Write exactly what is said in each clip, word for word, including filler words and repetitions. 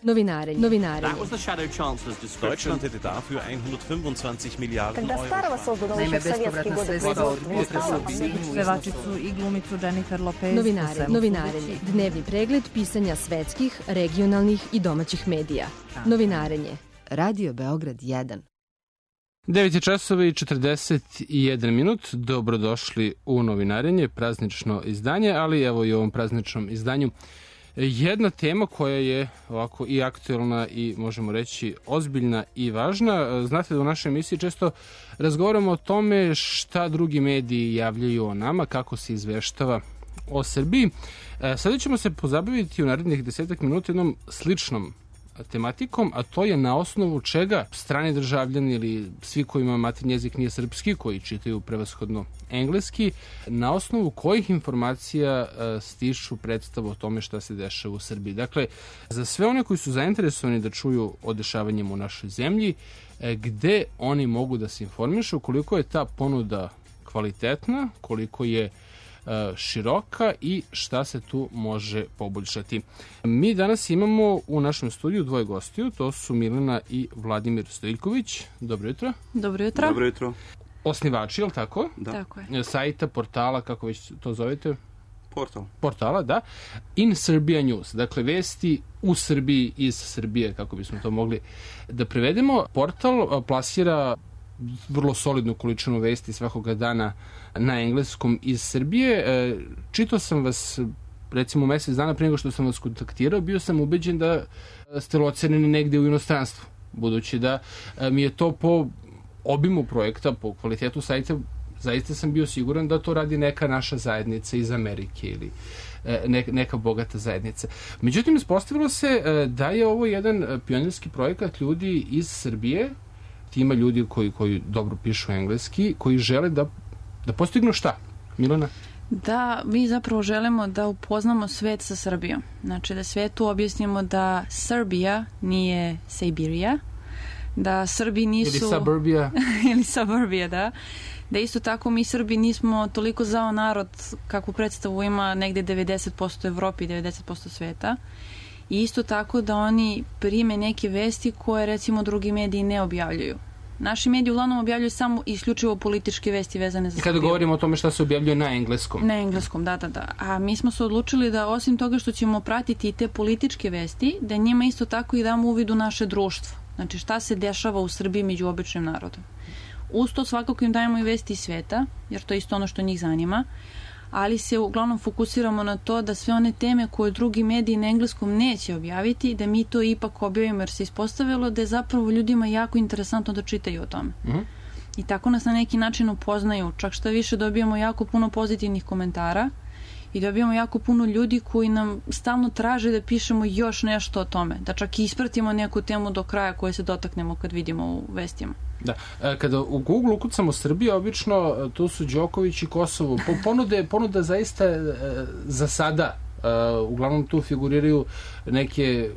Novinarenje. Novinarenje. Deutschland hätte dafür hundertfünfundzwanzig Milliarden Euro. Naime, bespovratna sredstva od Pevačicu i glumicu Jennifer Lopez. Novinarenje. Novinarenje. Dnevni pregled pisanja svetskih, regionalnih i domaćih medija. Novinarenje. Radio Beograd jedan. devet je časova i četrdeset jedan minut. Dobrodošli u Novinarenje, praznično izdanje, ali evo i u ovom prazničnom izdanju jedna tema koja je ovako i aktuelna i možemo reći ozbiljna i važna. Znate da u našoj emisiji često razgovaramo o tome šta drugi mediji javljaju o nama, kako se izveštava o Srbiji. Sada ćemo se pozabaviti u narednih desetak minuta jednom sličnom tematikom, a to je na osnovu čega strani državljani ili svi kojima maternji jezik nije srpski, koji čitaju prevashodno engleski, na osnovu kojih informacija stiču predstavu o tome šta se dešava u Srbiji. Dakle, za sve one koji su zainteresovani da čuju o dešavanjima u našoj zemlji, gde oni mogu da se informišu, koliko je ta ponuda kvalitetna, koliko je široka i šta se tu može poboljšati. Mi danas imamo u našem studiju dvoje gostiju, to su Milena i Vladimir Stojiljković. Dobro jutro. Dobro jutro. Dobro jutro. Osnivači, je li tako? Da. Tako je. Sajta, portala, kako već to zovete? Portal. Portala, da. In Serbia News, dakle vesti u Srbiji, iz Srbije, kako bismo to mogli da prevedemo. Portal plasira vrlo solidnu količinu vesti svakoga dana na engleskom iz Srbije. Čitao sam vas recimo mesec dana pre nego što sam vas kontaktirao, bio sam ubeđen da ste loceneni negde u inostranstvu, budući da mi je to po obimu projekta, po kvalitetu sajta, zaista sam bio siguran da to radi neka naša zajednica iz Amerike ili neka bogata zajednica. Međutim, ispostavilo se da je ovo jedan pionirski projekat ljudi iz Srbije, ima ljudi koji, koji dobro pišu engleski, koji žele da, da postignu šta? Milena? Da, mi zapravo želimo da upoznamo svet sa Srbijom. Znači da svetu objasnimo da Srbija nije Sibirija, da Srbi nisu... Ili suburbija. Ili suburbija, da. Da isto tako mi Srbi nismo toliko zao narod kakvu predstavu ima negde devedeset posto Evropi i devedeset posto sveta. I isto tako da oni prime neke vesti koje recimo drugi mediji ne objavljuju. Naši mediji uglavnom objavljuju samo isključivo političke vesti vezane za Srbiju. Kada govorimo o tome šta se objavljuje na engleskom. Na engleskom, da, da, da. A mi smo se odlučili da osim toga što ćemo pratiti i te političke vesti, da njima isto tako i damo uvid u naše društvo. Znači šta se dešava u Srbiji među običnim narodom. Uz to svakako im dajemo i vesti iz sveta, jer to je isto ono što njih zanima, ali se uglavnom fokusiramo na to da sve one teme koje drugi mediji na engleskom neće objaviti, da mi to ipak objavimo, jer se ispostavilo da je zapravo ljudima jako interesantno da čitaju o tome. Mm-hmm. I tako nas na neki način upoznaju, čak što više dobijamo jako puno pozitivnih komentara i dobijamo jako puno ljudi koji nam stalno traže da pišemo još nešto o tome, da čak i ispratimo neku temu do kraja koje se dotaknemo kad vidimo u vestima. Da, kada u Google ukucamo Srbija, obično tu su Đoković i Kosovo. Ponude, ponuda zaista za sada, uglavnom tu figuriraju neke,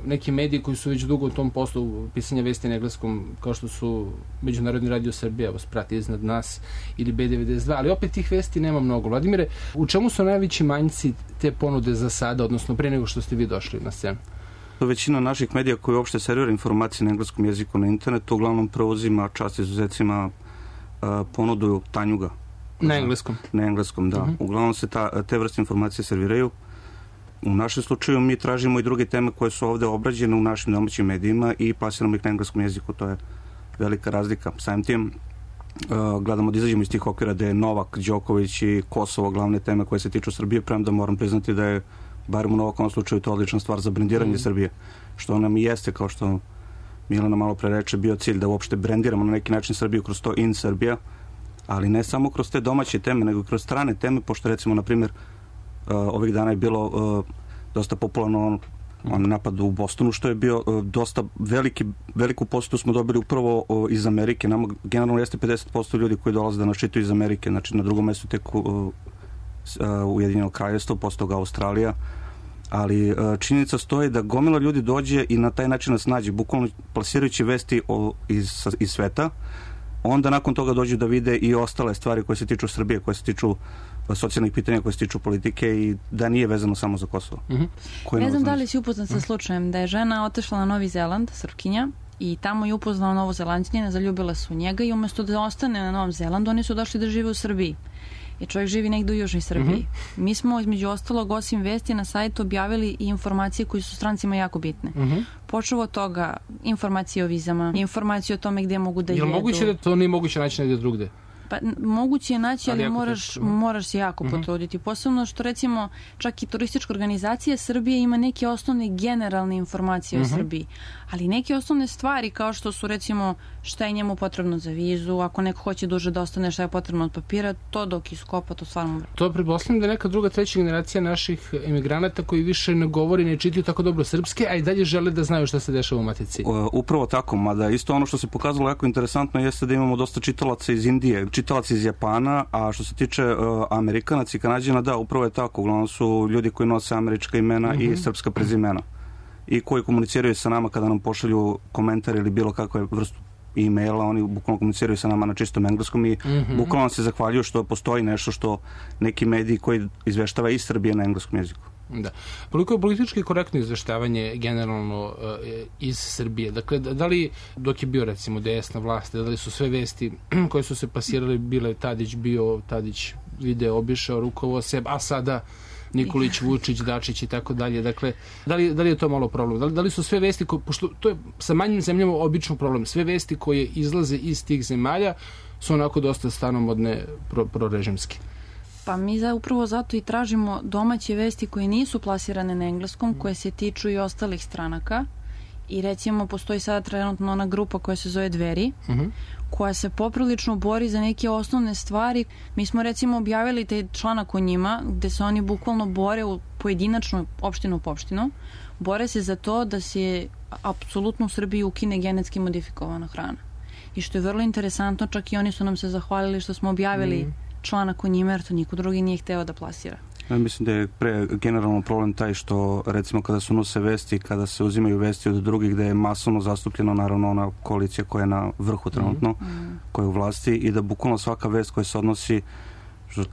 neki mediji koji su već dugo u tom poslu pisanja vesti na engleskom, kao što su Međunarodni radio Srbija, vas prati iznad nas, ili B devedeset dva, ali opet tih vesti nema mnogo. Vladimire, u čemu su najveći manjci te ponude za sada, odnosno pre nego što ste vi došli na scenu? Većina naših medija koji uopšte servira informacije na engleskom jeziku na internetu uglavnom preuzima, čast izuzecima, ponudu Tanjuga. Na engleskom? Na engleskom, da. Uh-huh. Uglavnom se ta, te vrste informacije serviraju. U našem slučaju mi tražimo i druge teme koje su ovde obrađene u našim domaćim medijima i plasiramo ih na engleskom jeziku. To je velika razlika. Samim tim gledamo da izađemo iz tih okvira da je Novak, Đoković i Kosovo glavne teme koje se tiču Srbije, premda moram priznati da je barem u Novakovom slučaju to odlična stvar za brendiranje mm. Srbije, što nam i jeste, kao što Milena malo pre reče, bio cilj da uopšte brendiramo na neki način Srbiju kroz to In Srbija, ali ne samo kroz te domaće teme, nego i kroz strane teme, pošto recimo, na primjer, uh, ovih dana je bilo uh, dosta popularno on, on napad u Bostonu, što je bio uh, dosta veliki, veliku posetu smo dobili upravo uh, iz Amerike. Nama generalno jeste pedeset posto ljudi koji dolaze da nas čitaju iz Amerike, znači na drugom mestu tek uh, Ujedinjeno kraljevstvo, posle toga Australija, ali činjenica stoji da gomila ljudi dođe i na taj način nas nađe, bukvalno plasirajući vesti o, iz, iz sveta, onda nakon toga dođu da vide i ostale stvari koje se tiču Srbije, koje se tiču socijalnih pitanja koje se tiču politike i da nije vezano samo za Kosovo. Mm-hmm. Ne znam da li si upoznan sa slučajem da je žena otišla na Novi Zeland, Srpkinja, i tamo je upoznala Novozelandjanina, zaljubila su u njega i umjesto da ostane na Novom Zelandu, oni su došli da žive u Srbiji. Jer čovjek živi negdje u Južnoj Srbiji. Mm-hmm. Mi smo, između ostalog, osim vesti na sajtu objavili i informacije koje su strancima jako bitne. Mm-hmm. Počeo od toga informacije o vizama, informacije o tome gdje mogu da jedu. Je li moguće da to nije moguće naći negdje drugde? Pa moguće je naći, ali, ali moraš, moraš se jako uh-huh. potruditi. Posebno što recimo čak i turistička organizacija Srbije ima neke osnovne generalne informacije uh-huh. o Srbiji. Ali neke osnovne stvari kao što su recimo šta je njemu potrebno za vizu, ako neko hoće duže da ostane šta je potrebno od papira, to dok iskopa, to stvarno... To pretpostavljam da neka druga, treća generacija naših emigranata koji više ne govori, ne čitaju tako dobro srpske, a i dalje žele da znaju šta se dešava u matici. Uh, upravo tako, mada isto ono što se pokazalo jako interesantno jeste da imamo dosta čitalaca iz Indije, čitalaca iz Japana, a što se tiče uh, Amerikanaca i Kanadjana, da, upravo je tako. Uglavnom su ljudi koji nose američka imena mm-hmm. i srpska prezimena i koji komuniciraju sa nama kada nam pošalju komentar ili bilo kakve vrstu e-maila, oni bukvalno komuniciraju sa nama na čistom engleskom i mm-hmm. bukvalno se zahvaljuju što postoji nešto što neki mediji koji izveštava iz Srbije na engleskom jeziku. Da. Koliko je politički korektno izveštavanje generalno uh, iz Srbije? Dakle, da li dok je bio recimo desna vlast, da li su sve vesti koje su se pasirale bile Tadić bio, Tadić video, obišao, rukovo sebe, a sada Nikolić, Vučić, Dačić i tako dalje. Dakle, da li, da li je to malo problem? Da li, da li su sve vesti, ko, pošto to je sa manjim zemljama obično problem, sve vesti koje izlaze iz tih zemalja su onako dosta stanomodne pro, prorežimski? Pa mi za, upravo zato i tražimo domaće vesti koje nisu plasirane na engleskom, koje se tiču i ostalih stranaka. I recimo postoji sada trenutno ona grupa koja se zove Dveri, uh-huh. koja se poprilično bori za neke osnovne stvari. Mi smo recimo objavili taj članak o njima gde se oni bukvalno bore u pojedinačno opštinu po opštinu. Bore se za to da se apsolutno u Srbiji ukine genetski modifikovana hrana. I što je vrlo interesantno, čak i oni su nam se zahvalili što smo objavili uh-huh. članak o njima, jer to niko drugi nije hteo da plasira. Ja mislim da je pre generalno problem taj što recimo kada su nose vesti, kada se uzimaju vesti od drugih gde je masovno zastupljeno naravno ona koalicija koja je na vrhu trenutno, mm. koja je u vlasti i da bukvalno svaka vest koja se odnosi, što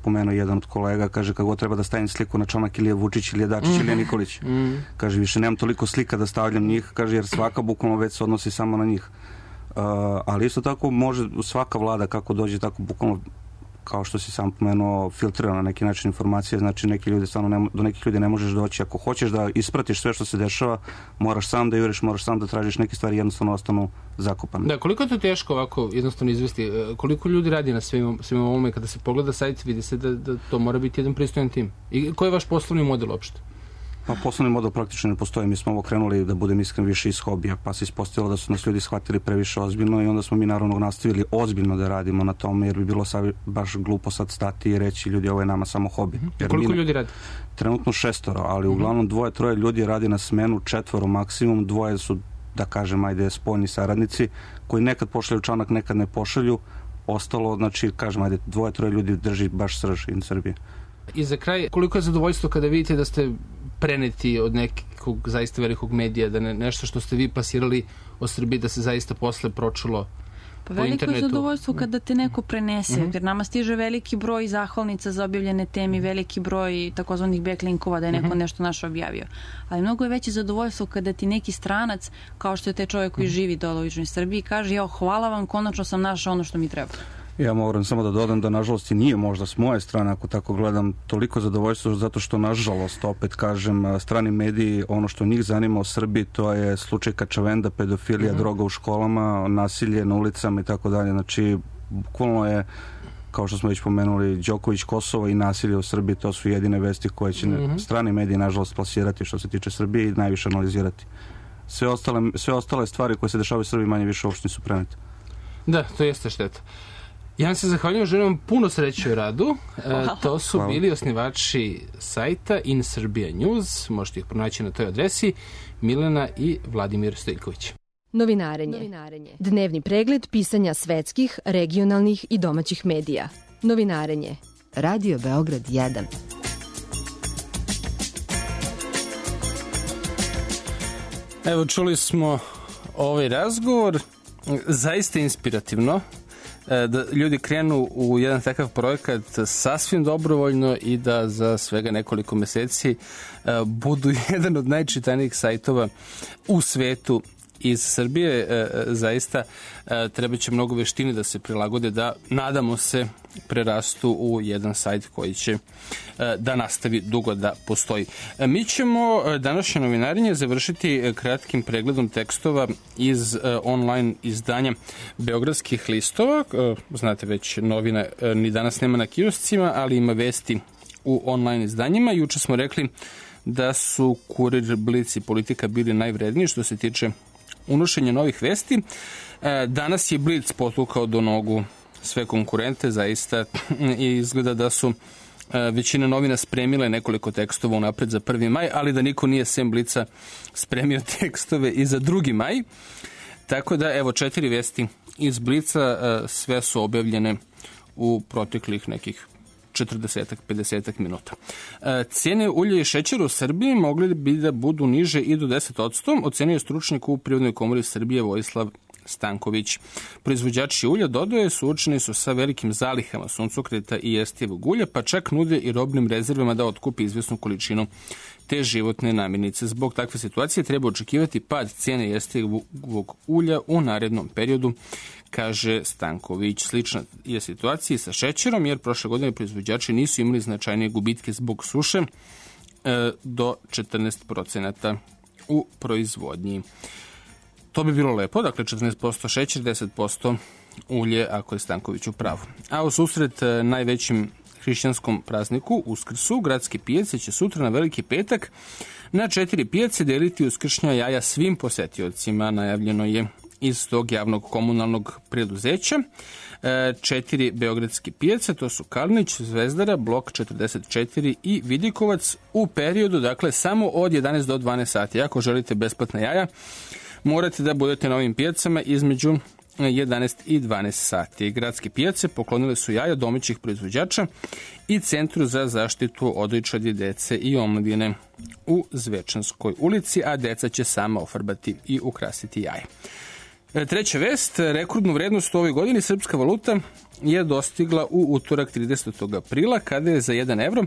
pomenuo jedan od kolega, kaže kako treba da stavim sliku na članak ili je Vučić ili je Dačić mm. ili je Nikolić. Mm. Kaže više nemam toliko slika da stavljam njih, kaže jer svaka bukvalno vest se odnosi samo na njih. Uh, ali isto tako može svaka vlada kako dođe tako bukvalno kao što si sam pomenuo, filtrira na neki način informacije, znači neki ljudi stvarno ne, do nekih ljudi ne možeš doći. Ako hoćeš da ispratiš sve što se dešava, moraš sam da juriš, moraš sam da tražiš neke stvari, jednostavno ostanu zakopane. Da, koliko je to teško ovako jednostavno izvesti? Koliko ljudi radi na svim, svim ovome? Kada se pogleda sajt, vidi se da, da to mora biti jedan pristojan tim. I koji je vaš poslovni model uopšte? Pa poslovni model praktično ne postoji. Mi smo ovo krenuli, da budem iskren, više iz hobija, pa se ispostavilo da su nas ljudi shvatili previše ozbiljno i onda smo mi naravno nastavili ozbiljno da radimo na tome, jer bi bilo sad baš glupo sad stati i reći ljudi ovo je nama samo hobi. Jer koliko mi, ljudi radi? Trenutno šestoro, ali mm-hmm. uglavnom dvoje, troje ljudi radi na smenu, četvoro maksimum, dvoje su, da kažem, ajde, spoljni saradnici, koji nekad pošalju članak, nekad ne pošalju, ostalo, znači, kažem, ajde, dvoje, troje ljudi drži baš srž in Srbije. I za kraj, koliko je zadovoljstvo kada vidite da ste preneti od nekog zaista velikog medija, da ne, nešto što ste vi plasirali o Srbiji, da se zaista posle pročulo pa po internetu? Veliko je zadovoljstvo kada te neko prenese, mm-hmm. jer nama stiže veliki broj zahvalnica za objavljene temi, veliki broj takozvanih backlinkova da je neko mm-hmm. nešto naše objavio. Ali mnogo je veće zadovoljstvo kada ti neki stranac, kao što je taj čovjek koji mm-hmm. živi dole u Južnoj Srbiji, kaže, jao, hvala vam, konačno sam našao ono što mi treba. Ja moram samo da dodam da nažalost i nije možda s moje strane, ako tako gledam, toliko zadovoljstvo zato što nažalost, opet kažem, strani mediji, ono što njih zanima o Srbiji, to je slučaj Kačavenda, pedofilija, mm-hmm. droga u školama, nasilje na ulicama i tako dalje. Znači, bukvalno je, kao što smo već pomenuli, Đoković, Kosovo i nasilje u Srbiji, to su jedine vesti koje će mm-hmm. strani mediji nažalost plasirati što se tiče Srbije i najviše analizirati. Sve ostale, sve ostale stvari koje se dešavaju u Srbiji manje više uopšte nisu prenete. Da, to jeste šteta. Ja vam se zahvaljujem, želim vam puno sreće u radu. E, to su Hvala. Bili osnivači sajta In Serbia News, možete ih pronaći na toj adresi, Milena i Vladimir Stojković. Novinarenje. Novinarenje. Dnevni pregled pisanja svetskih, regionalnih i domaćih medija. Novinarenje. Radio Beograd jedan. Evo, čuli smo ovaj razgovor, zaista inspirativno. da ljudi krenu u jedan takav projekat sasvim dobrovoljno i da za svega nekoliko meseci budu jedan od najčitanijih sajtova u svetu iz Srbije. Zaista treba će mnogo veštine da se prilagode, da nadamo se prerastu u jedan sajt koji će da nastavi dugo da postoji. Mi ćemo današnje novinarenje završiti kratkim pregledom tekstova iz online izdanja Beogradskih listova. Znate već, novina ni danas nema na kioscima, ali ima vesti u online izdanjima. Juče smo rekli da su Kurir, Blic i Politika bili najvredniji što se tiče unošenja novih vesti. Danas je Blic potukao do nogu sve konkurente, zaista, i izgleda da su većina novina spremile nekoliko tekstova unapred za prvi maj, ali da niko nije sem Blica spremio tekstove i za drugi maj. Tako da, evo, četiri vesti iz Blica, sve su objavljene u proteklih nekih četrdesetak do pedesetak minuta. Cijene ulja i šećera u Srbiji mogli bi da budu niže i do deset posto, ocenio je stručnjak u Privrednoj komori Srbije Vojislav Stanković. Proizvođači ulja, dodaje, suočeni su sa velikim zalihama suncokreta i jestivog ulja, pa čak nude i robnim rezervama da otkupi izvesnu količinu te životne namirnice. Zbog takve situacije treba očekivati pad cijene jestivog ulja u narednom periodu, kaže Stanković. Slična je situacija sa šećerom, jer prošle godine proizvođači nisu imali značajnije gubitke zbog suše e, do četrnaest procenata u proizvodnji. To bi bilo lepo, dakle četrnaest posto šećer, deset posto ulje, ako je Stanković u pravu. A u susret najvećim hrišćanskom prazniku, Uskrsu, gradske pijace će sutra na Veliki petak na četiri pijace deliti uskršnja jaja svim posetiocima. Najavljeno je iz tog javnog komunalnog preduzeća. Četiri beogradske pijace, to su Kalnić, Zvezdara, Blok četrdeset četiri i Vidikovac, u periodu, dakle, samo od jedanaest do dvanaest sati. Ako želite besplatna jaja, morate da budete na ovim pijacama između jedanaest i dvanaest sati. Gradske pijace poklonile su jaja domaćih proizvođača i Centru za zaštitu odojčadi, dece i omladine u Zvečanskoj ulici, a deca će sama ofarbati i ukrasiti jaje. Treća vest, rekordnu vrednost u ovoj godini srpska valuta je dostigla u utorak tridesetog aprila, kada je za jedan evro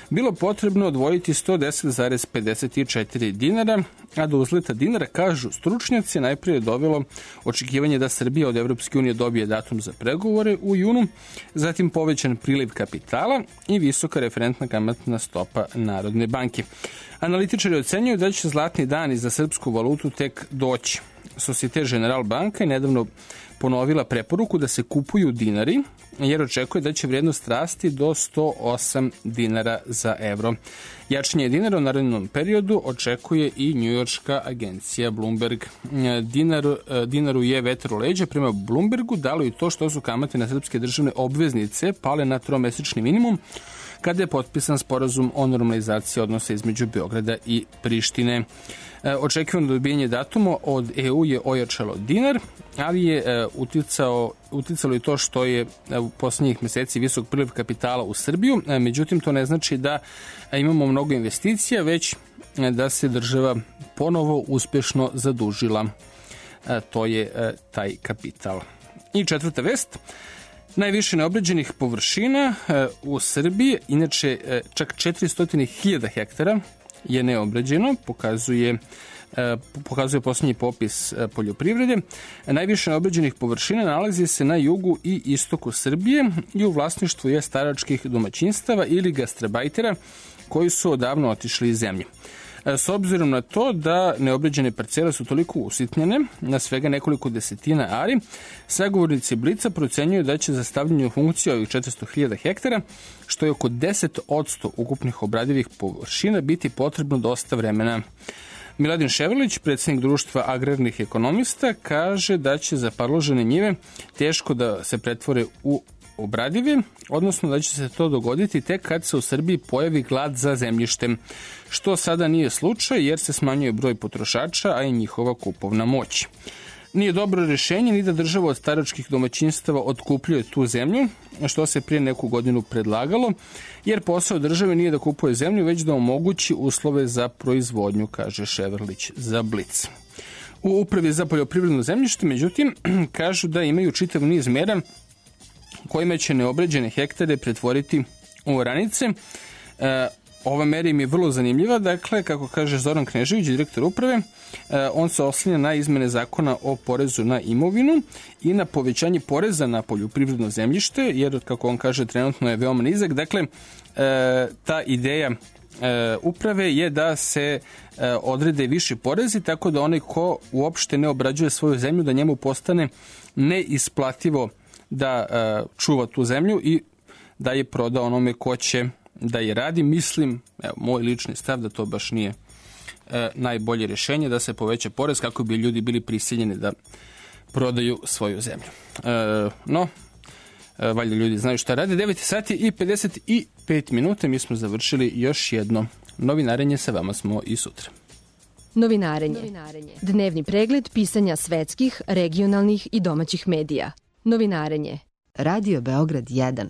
bilo potrebno odvojiti sto deset zarez pedeset četiri dinara, a do uzleta dinara, kažu stručnjaci, najprije je dovelo očekivanje da Srbija od Evropske unije dobije datum za pregovore u junu, zatim povećan priliv kapitala i visoka referentna kamatna stopa Narodne banke. Analitičari ocenjuju da će zlatni dani za srpsku valutu tek doći. Societe General banka je nedavno ponovila preporuku da se kupuju dinari, jer očekuje da će vrednost rasti do sto osam dinara za evro. Jačanje dinara u narednom periodu očekuje i njujorška agencija Bloomberg. Dinar, dinaru je vetar u leđa prema Bloombergu, dalo i to što su kamate na srpske državne obveznice pale na tromesečni minimum, kada je potpisan sporazum o normalizaciji odnosa između Beograda i Prištine. Očekivano dobijanje datuma od E U je ojačalo dinar, ali je uticao, uticalo i to što je u posljednjih meseci visok priliv kapitala u Srbiju. Međutim, to ne znači da imamo mnogo investicija, već da se država ponovo uspešno zadužila. To je taj kapital. I četvrta vest. Najviše neobrađenih površina u Srbiji, inače čak četiristo hiljada hektara je neobrađeno, pokazuje, pokazuje posljednji popis poljoprivrede. Najviše neobrađenih površina nalazi se na jugu i istoku Srbije i u vlasništvu je staračkih domaćinstava ili gastarbajtera koji su odavno otišli iz zemlje. S obzirom na to da neobrađene parcele su toliko usitnjene, na svega nekoliko desetina ari, sagovornici Blica procenjuju da će za stavljanje u funkciju ovih četiristo hiljada hektara, što je oko deset posto ukupnih obradivih površina, biti potrebno dosta vremena. Miladin Ševrlić, predsjednik društva agrarnih ekonomista, kaže da će za parložene njive teško da se pretvore u obradive, odnosno da će se to dogoditi tek kad se u Srbiji pojavi glad za zemljištem, što sada nije slučaj jer se smanjuje broj potrošača, a i njihova kupovna moć. Nije dobro rješenje ni da država od staračkih domaćinstava otkupljuje tu zemlju, što se prije neku godinu predlagalo, jer posao države nije da kupuje zemlju, već da omogući uslove za proizvodnju, kaže Ševrlić za Blic. U Upravi za poljoprivredno zemljište, međutim, kažu da imaju čitav niz mera kojima će neobrađene hektare pretvoriti u oranice. E, ova mera im je vrlo zanimljiva, dakle, kako kaže Zoran Knežević, direktor uprave, e, on se oslanja na izmene zakona o porezu na imovinu i na povećanje poreza na poljoprivredno zemljište, jer, kako on kaže, trenutno je veoma nizak. Dakle, e, ta ideja e, uprave je da se e, odrede viši porezi, tako da onaj ko uopšte ne obrađuje svoju zemlju, da njemu postane neisplativo da e, čuva tu zemlju i da je proda onome ko će da je radi. Mislim, evo, moj lični stav da to baš nije e, najbolje rješenje, da se poveća porez kako bi ljudi bili prisiljeni da prodaju svoju zemlju. E, no, e, valjda ljudi znaju šta rade. devet sati i pedeset pet minuta, mi smo završili još jedno novinarenje, sa vama smo i sutra. Novinarenje. Novinarenje. Dnevni pregled pisanja svetskih, regionalnih i domaćih medija. Novinarenje. Radio Beograd jedan.